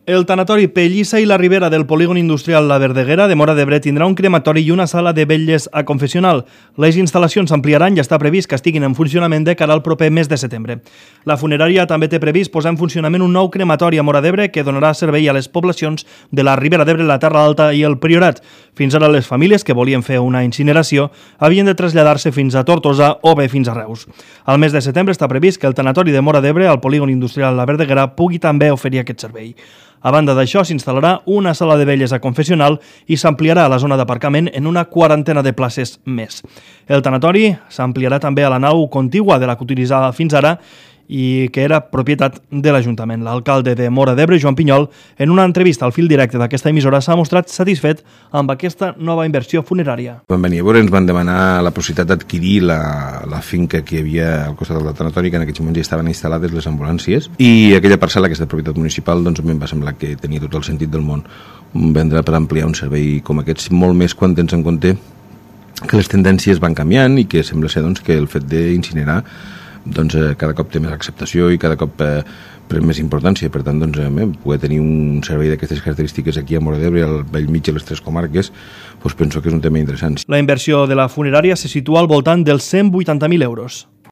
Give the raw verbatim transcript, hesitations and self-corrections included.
El tanatori Pellissa i la Ribera del polígon industrial La Verdeguera de Móra d'Ebre tindrà un crematori i una sala de vetlles a confessional. Les instal·lacions s'ampliaran i està previst que estiguin en funcionament de cara al proper mes de setembre. La funerària també té previst posar en funcionament un nou crematori a Móra d'Ebre que donarà servei a les poblacions de la Ribera d'Ebre, la Terra Alta i el Priorat. Fins ara les famílies que volien fer una incineració havien de traslladar-se fins a Tortosa o bé fins a Reus. Al mes de setembre està previst que el tanatori de Móra d'Ebre al polígon industrial La Verdeguera pugui també oferir aquest servei. A banda d'això, s'instal·larà una sala de vetlles a confessional i s'ampliarà la zona d'aparcament en una quarantena de places més. El tanatori s'ampliarà també a la nau contigua de la que utilitzava fins ara i que era propietat de l'Ajuntament. L'alcalde de Móra d'Ebre, Joan Pinyol, en una entrevista al fil directe d'aquesta emissora, s'ha mostrat satisfet amb aquesta nova inversió funerària. Van venir a veure, ens van demanar la possibilitat d'adquirir la, la finca que hi havia al costat del tanatori, que en aquests moments ja estaven instal·lades les ambulàncies, i aquella parcel·la que és de propietat municipal, doncs a mi em va semblar que tenia tot el sentit del món vendre per ampliar un servei com aquests, molt més quan tens en compte que les tendències van canviant i que sembla ser doncs, que el fet d'incinerar doncs, eh, cada cop té més acceptació i cada cop eh, pren més importància. Per tant, doncs, eh, poder tenir un servei d'aquestes característiques aquí a Móra d'Ebre, al bell mig de les tres comarques, doncs penso que és un tema interessant. La inversió de la funerària se situa al voltant dels cent vuitanta mil euros.